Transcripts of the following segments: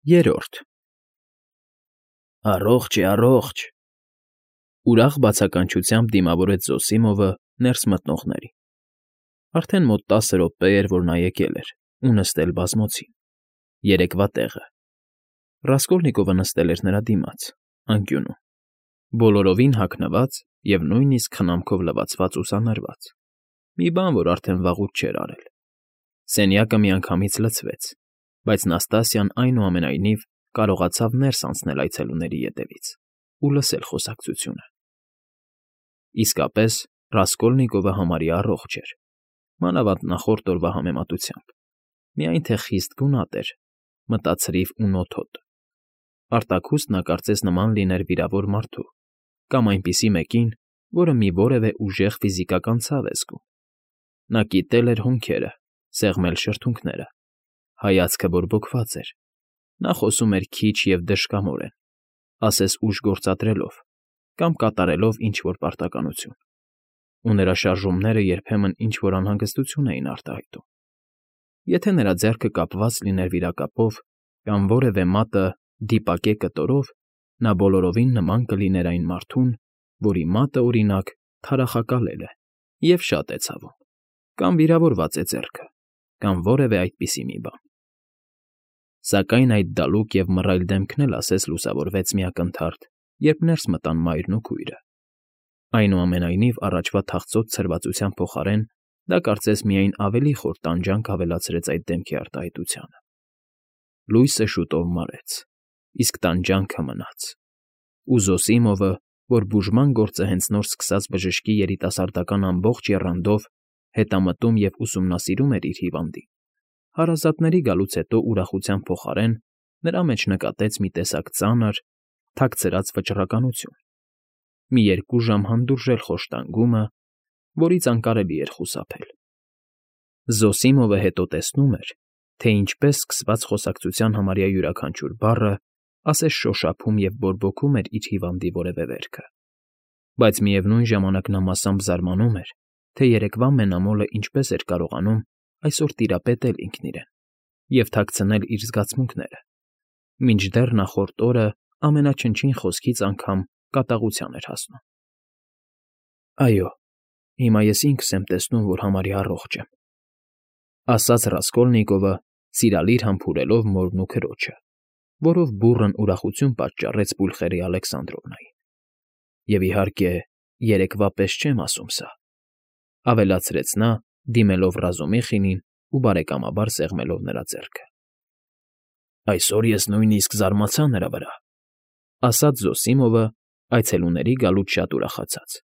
Երրորդ Առողջ է, առողջ, ուրախ բացականչությամբ դիմավորեց Զոսիմովը ներս մտնողներին. արդեն մոտ 10 րոպե էր, որ նա եկել էր ու նստել բազմոցին, երեկվա տեղը. Ռասկոլնիկովը նստել էր նրա դիմաց, անկյունում, բոլորովին հագնված և նույնիսկ խնամքով լվացված ուսանարված, մի բան, որ արդեն վաղուց չէր արել. սենյակը միանգամից լցվեց, բայց Նաստասիան այնուամենայնիվ կարողացավ ներս անցնել այցելուների ետևից ու լսել խոսակցությունը. իսկապես, Ռասկոլնիկովը համարյա առողջ էր, մանավանդ նախորդ օրվա համեմատությամբ, միայն թե խիստ գունատ էր, մտացրիվ ու նոթոտ. արտաքուստ նա կարծես նման լիներ վիրավոր մարդու կամ այնպիսի մեկին, որը մի որևէ ուժեղ ֆիզիկական ցավ է զգում. նա կիտել էր հոնքերը, սեղմել շրթունքները, հայացքը բորբոքված էր, նա խոսում էր քիչ և դժկամորեն, ասես ուժ գործադրելով կամ կատարելով ինչ֊որ պարտականություն, ու նրա շարժումները երբեմն ինչ֊որ անհանգստություն էին արտահայտում. եթե նրա ձեռքը կապված լիներ վիրակապով կամ որևէ մատը դիպակե կտորով, նա բոլորովին նման կլիներ այն մարդուն, որի մատը, օրինակ, թարախակալել է և շատ է ցավում, կամ վիրավորված է ձեռքը, կամ որևէ այդպիսի մի բան. Սակայն այդ դալուկ և մռայլ դեմքն էլ ասես լուսավորվեց մի ակնթարթ, երբ ներս մտան մայրն ու քույրը. այնուամենայնիվ առաջվա թախծոտ ցրվածության փոխարեն դա կարծես միայն ավելի խոր տանջանք ավելացրեց այդ դեմքի արտահայտությանը. լույսը շուտով մարեց, իսկ տանջանքը մնաց, ու Զոսիմովը, որ բուժման գործը հենց նոր սկսած բժշկի երիտասարդական ամբողջ եռանդով հետամտում և ուսումնասիրում էր իր հիվանդին, հարազատների գալուց հետո ուրախության փոխարեն նրա մեջ նկատեց մի տեսակ ծանր, թաքցրած վճռականություն, մի 2 ժամ հանդուրժել խոշտանգումը, որից անկարելի էր խուսափել. Զոսիմովը հետո տեսնում էր, թե ինչպես սկսված խոսակցության համարյա յուրաքանչյուր բառը ասես շոշափում և բորբոքում էր իր հիվանդի որևէ վերքը, բայց միևնույն ժամանակ նա մասամբ զարմանում էր, թե երեկվա մենամոլը ինչպես էր կարողանում այսօր տիրապետել ինքն իրեն և թաքցնել իր զգացմունքները, մինչդեռ նախորդ օրը ամենաչնչին խոսքից անգամ կատաղության էր հասնում. այո, հիմա ես ինքս եմ տեսնում, որ համարյա առողջ եմ, ասաց Ռասկոլնիկովը, սիրալիր համբուրելով մորն ու քրոջը, որով բուռն ուրախություն պատճառեց պուլխերի Ալեքսանդրովնային. և իհարկե, երեկվա պես չեմ ասում սա, ավելացրեց նա, դիմելով Ռազումիխինին ու բարեկամաբար սեղմելով նրա ձեռքը. այսօր ես նույնիսկ զարմացա նրա վրա, ասաց Զոսիմովը, այցելուների գալուց շատ ուրախացած,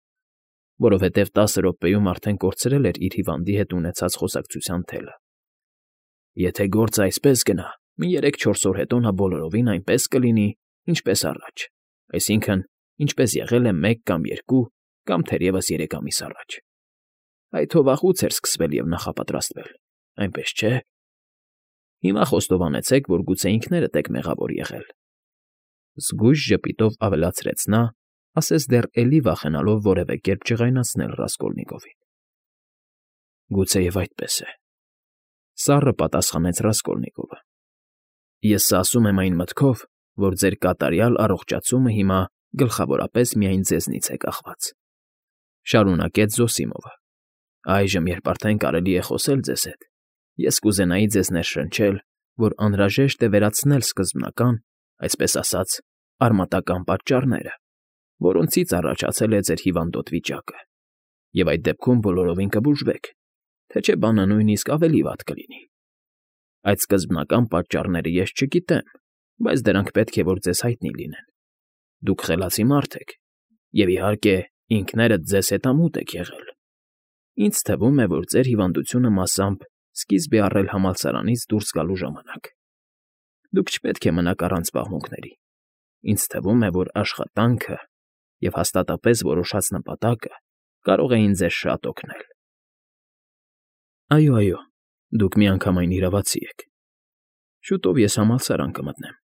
որովհետև 10 րոպեում արդեն կորցրել էր իր հիվանդի հետ ունեցած խոսակցության թելը. եթե գործը այսպես գնա, մի 3-4 օր հետո նա բոլորովին այնպես կլինի, ինչպես առաջ, այսինքն՝ ինչպես եղել է 1 կամ 2 կամ թերևս 3 ամիս առաջ. այդ հո վաղուց էր սկսվել և նախապատրաստվել, այնպես չէ՞. Հիմա խոստովանեցեք, որ գուցե ինքներդ եք մեղավոր եղել, զգույշ ժպիտով ավելացրեց նա, ասես դեռ էլի վախենալով որևէ կերպ ջղայնացնել Ռասկոլնիկովին. գուցեև այդպես է, սառը պատասխանեց Ռասկոլնիկովը. ես սա ասում եմ այն մտքով, որ ձեր կատարյալ առողջացումը հիմա գլխավորապես միայն ձեզնից է կախված, շարունակեց Զոսիմովը. այժմ, երբ արդեն կարելի է խոսել ձեզ հետ, ես կուզենայի ձեզ ներշնչել, որ անհրաժեշտ է վերացնել սկզբնական, այսպես ասած, արմատական պատճառները, որոնցից առաջացել է ձեր հիվանդոտ վիճակը, և այդ դեպքում բոլորովին կբուժվեք, թե չէ բանը նույնիսկ ավելի վատ կլինի. այդ սկզբնական պատճառները ես չգիտեմ, բայց դրանք պետք է որ ձեզ հայտնի լինեն. դուք խելացի մարդ եք, և իհարկե ինքներդ ձեզ հետամուտ եք եղել. ինձ թվում է, որ ձեր հիվանդությունը մասամբ սկիզբ է առել համալսարանից դուրս գալու ժամանակ. դուք չպետք է մնաք առանց զբաղմունքների. ինձ թվում է, որ աշխատանքը և հաստատապես որոշած նպատակը կարող էին ձեզ շատ օգնել. այո, դուք միանգամայն իրավացի եք. շուտով ես համալսարան կմտնեմ,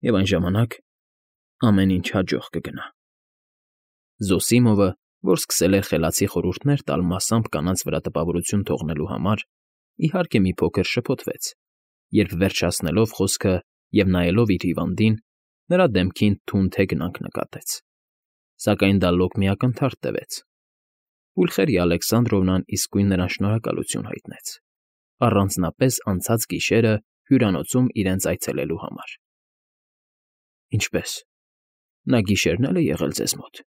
և այն ժամանակ ամեն ինչ հաջող կգնա. Զոսիմովը, որ սկսել էր խելացի խորհուրդներ տալ մասամբ կանանց վրա տպավորություն թողնելու համար, իհարկե մի փոքր շփոթվեց, երբ վերջացնելով խոսքը և նայելով իր հիվանդին, նրա դեմքին թուն թեքնանք նկատեց, սակայն դա լոկ մի ակնթարթ տվեց. Պուլխերիա Ալեքսանդրովնան իսկույն նրան շնորհակալություն հայտնեց, առանձնապես անցած գիշերը հյուրանոցում իրենց այցելելու համար։ ֊ Ինչպե՞ս, նա գիշերն էլ է եղել ձեզ մոտ,֊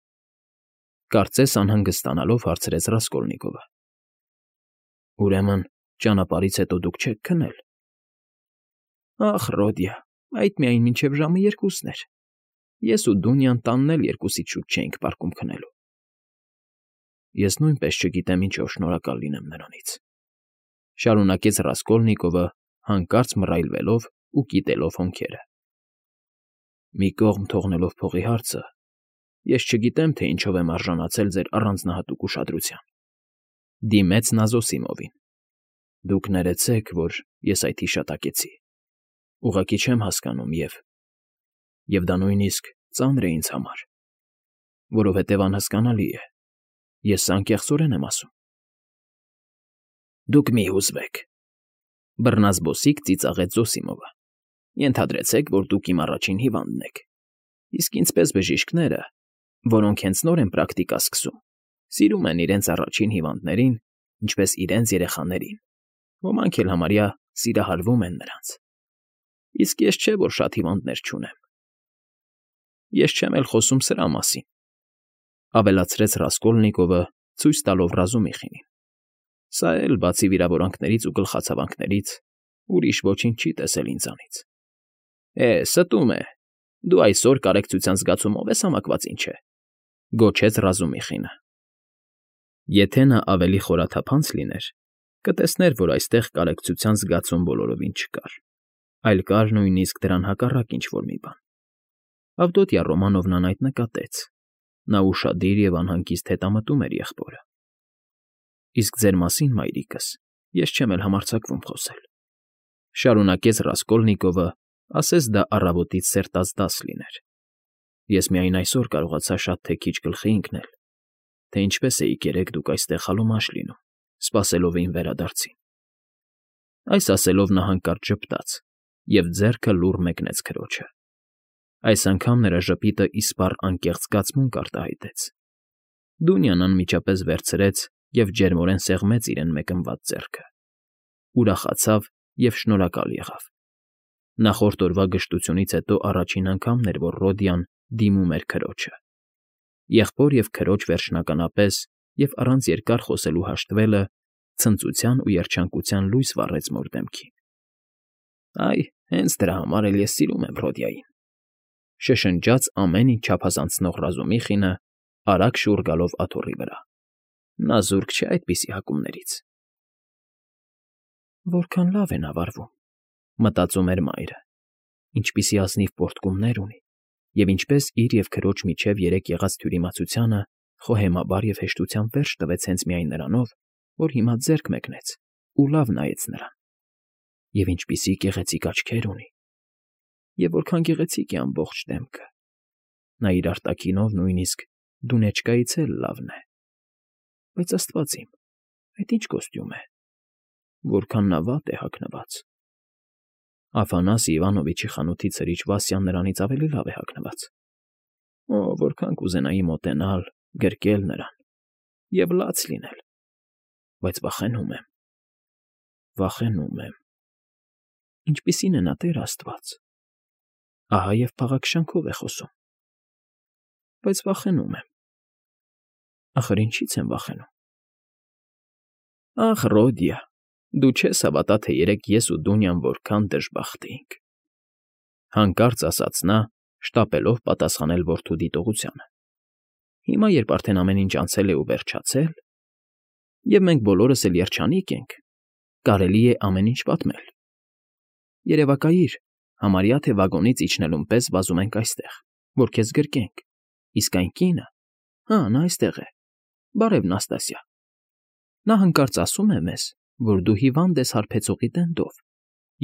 կարծես անհանգստանալով հարցրեց Ռասկոլնիկովը։ ֊ Ուրեմն ճանապարհից հետո դուք չեք քնել։ ֊ Ախ, Ռոդիա, այդ միայն մինչև ժամը 2-ն էր. ես ու Դունյան տանն էլ 2-ից շուտ չէինք պարկում քնելու։ ֊ Ես նույնպես չգիտեմ ինչով շնորհակալ լինեմ նրանից,֊ շարունակեց Ռասկոլնիկովը, հանկարծ մռայլվելով ու կիտելով հոնքերը։ ֊ Մի կողմ թողնելով փողի հարցը, ես չգիտեմ, թե ինչով եմ արժանացել ձեր առանձնահատուկ ուշադրության,֊ դիմեց նա Զոսիմովին։ Դուք ներեցեք, որ ես այդ հիշատակեցի, ուղղակի չեմ հասկանում և դա նույնիսկ ծանր է ինձ համար, որովհետև անհասկանալի է, ես սա անկեղծորեն եմ ասում։ ֊ Դուք մի հուզվեք,֊ բռնազբոսիկ ծիծաղեց Զոսիմովը։ Ենթադրեցեք, որ դուք իմ առաջին հիվանդն եք, իսկ ինձպես բժիշկները, որոնք հենց նոր են պրակտիկա սկսում, սիրում են իրենց առաջին հիվանդներին, ինչպես իրենց երեխաներին, ոմանք էլ համարյա սիրահարվում են նրանց։ Իսկ ես չէ, որ շատ հիվանդներ չունեմ։ Ես չեմ էլ խոսում սրա մասին,֊ ավելացրեց Ռասկոլնիկովը, ցույց տալով Ռազումիխինին։ Սա էլ, բացի վիրավորանքներից ու գլխացավանքներից, ուրիշ ոչինչ չի տեսել ինձանից։ Ստում է, դու այսօր կարեկցության զգացումով ես համակված, ինչ է,֊ գոչեց Ռազումիխինը։ Եթե նա ավելի խորաթափանց լիներ, կտեսներ, որ այստեղ կարեկցության զգացում բոլորովին չկար, այլ կար նույնիսկ դրան հակառակ ինչ֊որ մի բան։ Ավդոտյա Ռոմանովնան այդ նկատեց, նա ուշադիր և անհանգիստ հետամտում էր եղբորը։ Իսկ ձեր մասին, մայրիկս, ես չեմ էլ համարձակվում խոսել,֊ շարունակեց Ռասկոլնիկովը, ասես դա առավոտից սերտած դաս լիներ։ Ես միայն այսօր կարողացա շատ թե քիչ գլխի ընկնել, թե ինչպես էիք երեկ դուք այստեղ խալոմաշ լինում, սպասելով իմ վերադարձին։ Այս ասելով նա հանկարծ ժպտաց և ձեռքը լուռ մեկնեց քրոջը։ Այս անգամ նրա ժպիտը իսպառ անկեղծ զգացմունք արտահայտեց։ Դունյան անմիջապես վերցրեց և ջերմորեն սեղմեց իրեն մեկնված ձեռքը, ուրախացավ և շնորհակալ եղավ։ Նախորդ օրվա գժտությունից հետո առաջին անգամն էր, որ Ռոդիան դիմում էր քրոջը։ Եղբոր և քրոջ վերջնականապես և առանց երկար խոսելու հաշտվելը ցնծության ու երջանկության լույս վառեց մոր դեմքին։ Այ, հենց դրա համար էլ ես սիրում եմ Ռոդիային,֊ շշնջաց ամեն ինչ չափազանցնող Ռազումիխինը, արագ շուռ գալով աթոռի վրա։ Նա զուրկ չէ այդպիսի հակումներից։ Որքան լավ է նա վարվում,֊ մտածում էր մայրը, ինչպիսի ազնիվ պոռթկումներ ունի, և ինչպես իր և քրոջ միջև երեկ եղած թյուրիմացությանը խոհեմաբար և հեշտությամբ վերջ տվեց հենց միայն նրանով, որ հիմա ձեռք մեկնեց ու լավ նայեց նրան։ Եվ ինչպիսի գեղեցիկ աչքեր ունի, և որքան գեղեցիկ է ամբողջ դեմքը։ Նա իր արտաքինով նույնիսկ դունեչկայից էլ լավն է։ Բայց, աստված իմ, այդ ի՞նչ կոստյում է, որքան նա վատ է հագնված։ Աֆանասի Իվանովիչի խանութի ցրիչ Վասյան նրանից ավելի լավ է հագնված։ Օ, որքան կուզենայի մոտենալ, գրկել նրան և լաց լինել, բայց վախենում եմ։ Ինչպիսին է նա, Տեր աստված, ահա և փաղաքշանքով է խոսում, բայց վախենում եմ։ Ախր ինչի՞ց եմ վախենում։ Ախ, Ռոդիա, դու չես հավատա, թե երեկ ես ու Դունյան որքան դժբախտ էինք,֊ հանկարծ ասաց նա, շտապելով պատասխանել որդու դիտողությանը։ Հիմա, երբ արդեն ամեն ինչ անցել է ու վերջացել, և մենք բոլորս էլ երջանիկ ենք, կարելի է ամեն ինչ պատմել։ Երևակայիր, համարյա թե վագոնից իջնելուն պես վազում ենք այստեղ, որ քեզ գրկենք, իսկ այն կինը… Հա, նա այստեղ է, բարև Նաստասիա… Նա հանկարծ ասում է մեզ, որ դու հիվանդ ես հարբեցողի տենդով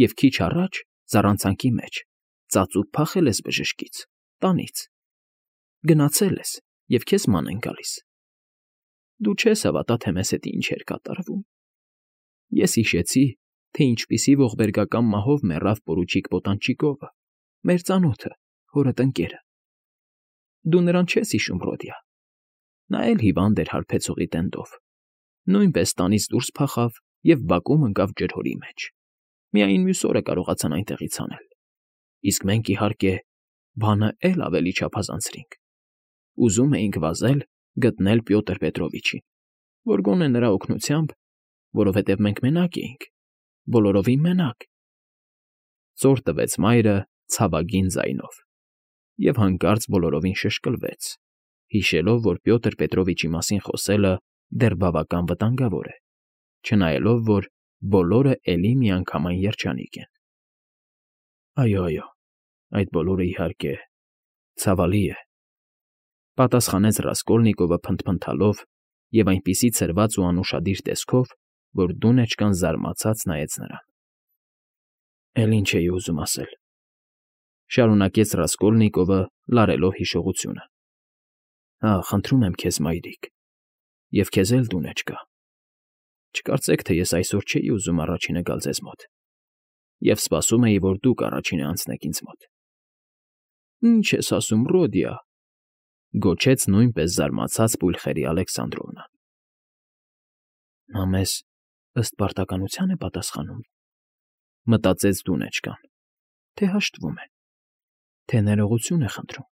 և քիչ առաջ, զառանցանքի մեջ, ծածուկ փախել ես բժշկից, տանից, գնացել ես և քեզ ման են գալիս։ Դու չես հավատա, թե մեզ հետ ինչ էր կատարվում։ Ես հիշեցի, թե ինչպիսի ողբերգական մահով մեռավ պորուչիկ Պոտանչիկովը, մեր ծանոթը, հորդ ընկերը։ Դու նրան չես հիշում, Ռոդիա։ Նա էլ հիվանդ էր հարբեցողի տենդով, նույնպես տանից դուրս փախավ և բակում ընկավ ջրհորի մեջ։ Միայն մյուս օրը կարողացան այնտեղից հանել։ Իսկ մենք, իհարկե, բանը էլ ավելի չափազանցրինք։ Ուզում էինք վազել գտնել Պյոտր Պետրովիչին, որ գոնե նրա օգնությամբ, որովհետև մենք մենակ էինք, բոլորովին մենակ։ Ծոր տվեց մայրը ցավագին ձայնով և հանկարծ բոլորովին շշկլվեց, հիշելով, որ Պյոտր Պետրովիչի մասին խոսելը դեռ բավական վտանգավոր է, չնայելով, որ բոլորը էլի միանգամայն երջանիկ են։ Այո, այդ բոլորը, իհարկե, ցավալի է, պատասխանեց Ռասկոլնիկովը փնթփնթալով և այնպիսի ցրված ու անուշադիր տեսքով, որ դունեչկան զարմացած նայեց նրան։ Էլ ինչ էի ուզում ասել,֊ շարունակեց Ռասկոլնիկովը, լարելով հիշողությունը։ Խնդրում եմ քեզ, մայրիկ, և քեզ էլ, դունեչկա, չկարծեք, թե ես այսօր չէի ուզում առաջինը գալ ձեզ մոտ, և սպասում էի, որ դուք առաջինը անցնեք ինձ մոտ։ Ինչ ես ասում, Ռոդիա,֊ գոչեց նույնպես զարմացած Պուլխերի Ալեքսանդրովնան։ Նա մեզ ըստ պարտականության է պատասխանում, մտածեց դունեչկան, թե հաշտվում է, թե ներողություն է խնդրում։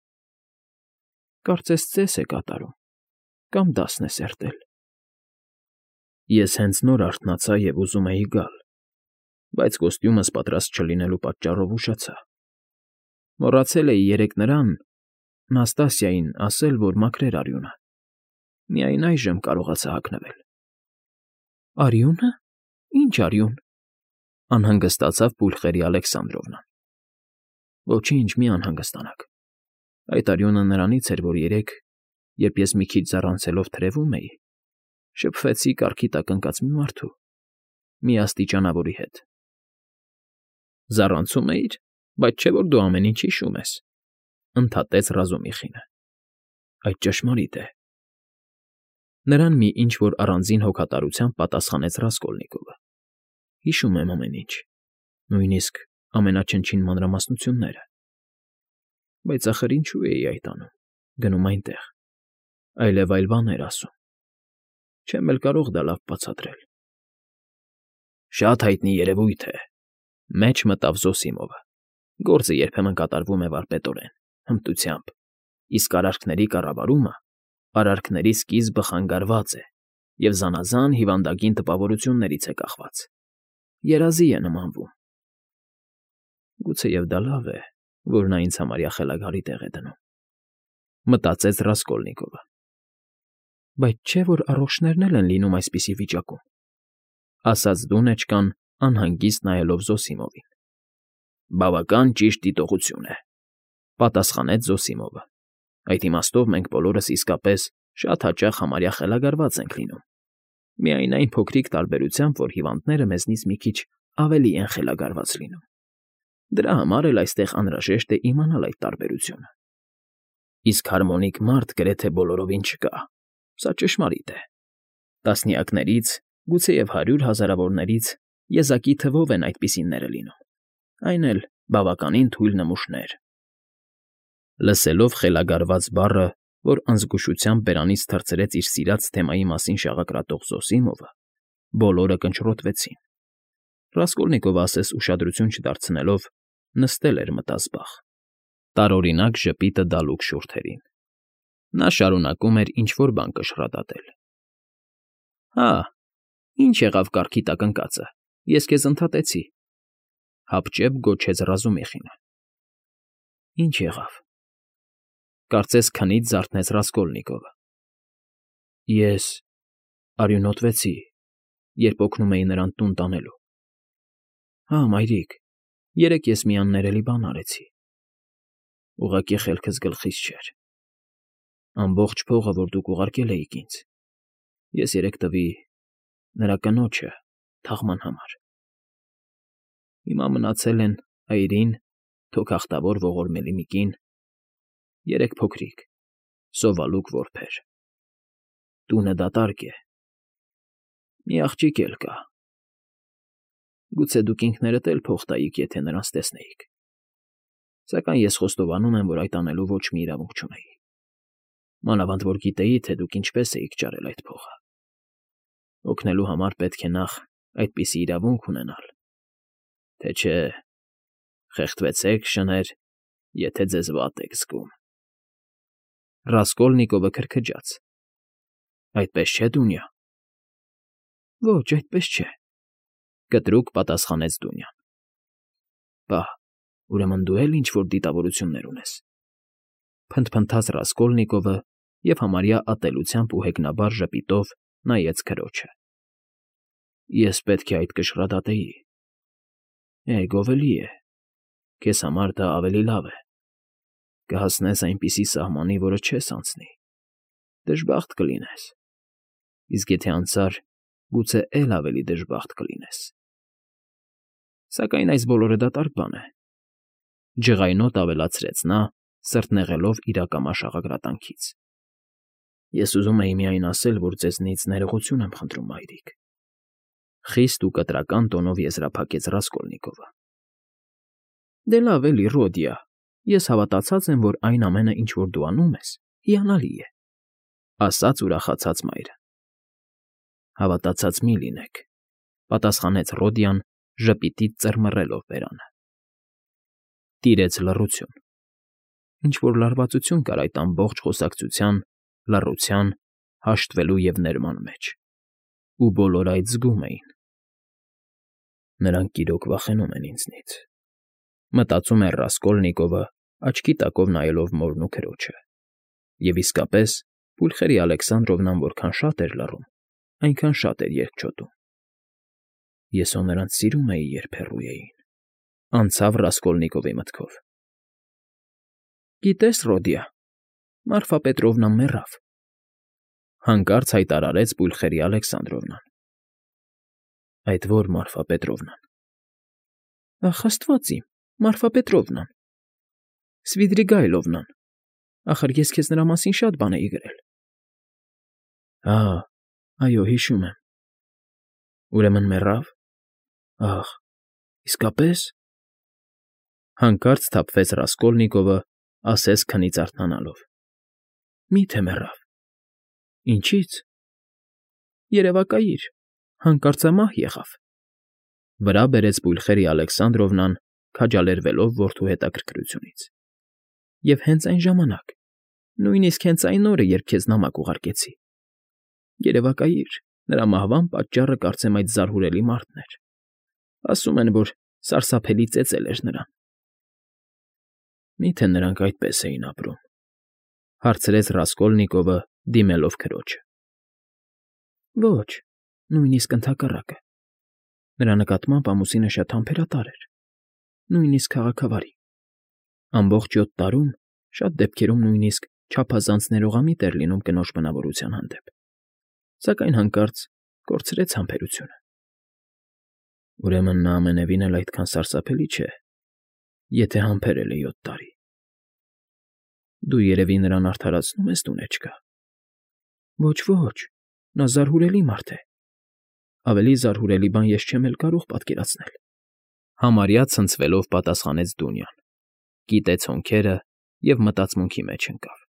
Կարծես ծես է կատարում կամ դասն է սերտել։ Ես հենց նոր արթնացա և ուզում էի գալ, բայց կոստյումս պատրաստ չլինելու պատճառով ուշացա։ Մոռացել էի երեկ նրան, Նաստասիային, ասել, որ մաքրեր արյունը։ Միայն այժմ կարողացա հագնվել։ Արյունը… Ի՞նչ արյուն,֊ անհանգստացավ Պուլխերի Ալեքսանդրովնան։ Ոչինչ, մի անհանգստանաք։ Այդ արյունը նրանից էր, որ երեկ, երբ ես մի քիչ ձառանցելով թրևում էի, շփվեցի կառքի տակ ընկած մի մարդու, մի աստիճանավորի հետ։ Զառանցում էիր, բայց չէ՞ որ դու ամեն ինչ հիշում ես,֊ ընդհատեց Ռազումիխինը։ Այդ ճշմարիտ է։ Նրան մի ինչ֊որ առանձին հոգատարությամբ պատասխանեց Ռասկոլնիկովը։ Հիշում եմ ամեն ինչ, նույնիսկ ամենաչնչին մանրամասնությունները։ Բայց ախր ինչու էի այդ անում, գնում այնտեղ, այլև այլ բաներ ասում։ Չեմ էլ կարող դա լավ բացատրել։ Շատ հայտնի երևույթ է,֊ մեջ մտավ Զոսիմովը։ Գործը երբեմն կատարվում է վարպետորեն, հմտությամբ, իսկ արարքների կառավարումը, արարքների սկիզբը խանգարված է և զանազան հիվանդագին տպավորություններից է կախված։ Երազի է նմանվում։ Գուցեև դա լավ է, որ նա ինձ համարյա խելագարի տեղ է դնում,֊ մտածեց Ռասկոլնիկովը։ Բայց չէ՞ որ առողջներն էլ են լինում այսպիսի վիճակում,֊ ասաց դունեչկան, անհանգիստ նայելով Զոսիմովին։ Բավական ճիշտ դիտողություն է,֊ պատասխանեց Զոսիմովը։ Այդ իմաստով մենք բոլորս իսկապես շատ հաճախ համարյա խելագարված ենք լինում, միայն այն փոքրիկ տարբերությամբ, որ հիվանդները մեզնից մի քիչ ավելի են խելագարված լինում։ Դրա համար էլ այստեղ անհրաժեշտ է իմանալ այդ տարբերությունը։ Իսկ հարմոնիկ մարդ գրեթե բոլորովին չկա, սա ճշմարիտ է։ Տասնյակներից, գուցեև 100 հազարավորներից եզակի թվով են այդպիսիները լինում, այն էլ բավականին թույլ նմուշներ։ Լսելով խելագարված բառը, որ անզգուշությամբ բերանից թռցրեց իր սիրած թեմայի մասին շաղակրատող Զոսիմովը, բոլորը կնճռոտվեցին։ Ռասկոլնիկովը ասես ուշադրություն չդարձնելով նստել էր մտազբաղ, տարօրինակ ժպիտը դալուկ շուրթերին։ Նա շարունակում էր ինչ֊որ բան կշռադատել։ Հա, ի՞նչ եղավ կառքի տակ ընկածը, ես քեզ ընդհատեցի,֊ հապճեպ գոչեց Ռազումիխինը։ Ինչ եղավ,֊ կարծես քնից զարթնեց Ռասկոլնիկովը։ Ես արյունոտվեցի, երբ օգնում էի նրան տուն տանելու։ Հա, մայրիկ, երեկ ես մի աններելի բան արեցի։ Ուղղակի խելքս գլխիս չէր։ Ամբողջ փողը, որ դուք ուղարկել էիք ինձ, ես երեկ տվի նրա կնոջը թաղման համար։ Հիմա մնացել են այրին, թոքախտավոր ողորմելի մի կին, 3 փոքրիկ, սովալուկ որբեր։ Տունը դատարկ է։ Մի աղջիկ էլ կա։ Գուցե դուք ինքներդ էլ փող տայիք, եթե նրանց տեսնեիք։ Սակայն ես խոստովանում եմ, որ այդ անելու ոչ մի իրավունք չունեի։ Մանավանդ որ գիտեի, թե դուք ինչպես էիք ճարել այդ փողը։ Օգնելու համար պետք է նախ այդպիսի իրավունք ունենալ, թե չէ խեղդվեցեք, շներ, եթե ձեզ վատ եք զգում։ Ռասկոլնիկովը քրքջաց։ Այդպես չէ, Դունյա։ Ոչ, այդպես չէ, կտրուկ պատասխանեց Դունյան։ Պահ, ուրեմն դու էլ ինչ-որ դիտավորություններ ունես։ Փնթփնթաց Ռասկոլնիկովը և համարյա ատելությամբ ու հեգնաբար ժպիտով նայեց քրոջը։ Ես պետք է այդ կշռադատեի։ Գովելի է։ Քեզ համար դա ավելի լավ է։ Կհասնես այնպիսի սահմանի, որը չես անցնի։ Դժբախտ կլինես։ Իսկ եթե անցար, գուցե էլ ավելի դժբախտ կլինես։ Սակայն այս բոլորը դատարկ բան է։ Ջղայնոտ ավելացրեց նա, սրտնեղելով իրակամաշ աղագրատանքից։ Ես ուզում էի միայն ասել, որ ձեզնից ներողություն եմ խնդրում, մայրիկ։ Խիստ ու կտրական տոնով եզրափակեց Ռասկոլնիկովը։ Դե լավ էլի, Ռոդիա, ես հավատացած եմ, որ այն ամենը, ինչ որ դու անում ես, հիանալի է, ասաց ուրախացած մայրը։ Հավատացած մի լինեք, պատասխանեց Ռոդիան, ժպիտից ծռմռելով բերանը։ Տիրեց լռություն։ Ինչ-որ լարվածություն կար այդ ամբողջ խոսակցության, լռության, հաշտվելու և ներման մեջ, ու բոլորը այդ զգում էին։ Նրանք իրոք վախենում են ինձնից, մտածում էր Ռասկոլնիկովը, աչքի տակով նայելով մորն ու քրոջը։ Եվ իսկապես, Պուլխերի Ալեքսանդրովնան որքան շատ էր լռում, այնքան շատ էր երկչոտում։ Ես հո նրանց սիրում էի, երբ հեռու էին, անցավ Ռասկոլնիկովի մտքով։ Գիտես, Ռոդիա, Մարֆա Պետրովնան մեռավ, հանկարծ հայտարարեց Պուլխերի Ալեքսանդրովնան։ Այդ ո՞ր Մարֆա Պետրովնան։ Ախ, Աստված իմ, Մարֆա Պետրովնան, Սվիդրիգայլովնան, ախր ես քեզ նրա մասին շատ բան էի գրել։ Այո, հիշում եմ։ Ուրեմն մեռավ։ Ախ, իսկապես։ Հանկարծ սթափվեց Ռասկոլնիկովը, ասես քնից արթնանալով։ Մի՞թե մեռավ։ Ինչի՞ց։ Երևակայիր, հանկարծամահ եղավ։ Վրա բերեց Պուլխերի Ալեքսանդրովնան, քաջալերվելով որդու հետաքրքրությունից։ Եվ հենց այն ժամանակ, նույնիսկ հենց այն օրը, երբ քեզ նամակ ուղարկեցի։ Երևակայիր, նրա մահվան պատճառը կարծեմ այդ զարհուրելի մարդն էր։ Ասում են, որ սարսափելի ծեծել էր նրան։ Մի՞թե նրանք այդպես էին ապրում, հարցրեց Ռասկոլնիկովը, դիմելով քրոջը։ Ոչ, նույնիսկ ընդհակառակը։ Նրա նկատմամբ ամուսինը շատ համբերատար էր, նույնիսկ քաղաքավարի։ Ամբողջ 7 տարում շատ դեպքերում նույնիսկ չափազանց ներողամիտ էր լինում կնոջ բնավորության հանդեպ, սակայն հանկարծ կորցրեց համբերությունը։ Ուրեմն նա ամենևին էլ այդքան սարսափելի չէ, եթե համբերել է 7 տարի։ Դու երևի նրան արդարացնում ես, դունեչկա։ Ոչ, նա զարհուրելի մարդ է։ Ավելի զարհուրելի բան ես չեմ էլ կարող պատկերացնել։ Համարյա ցնցվելով պատասխանեց Դունյան, կիտեց հոնքերը և մտածմունքի մեջ ընկավ։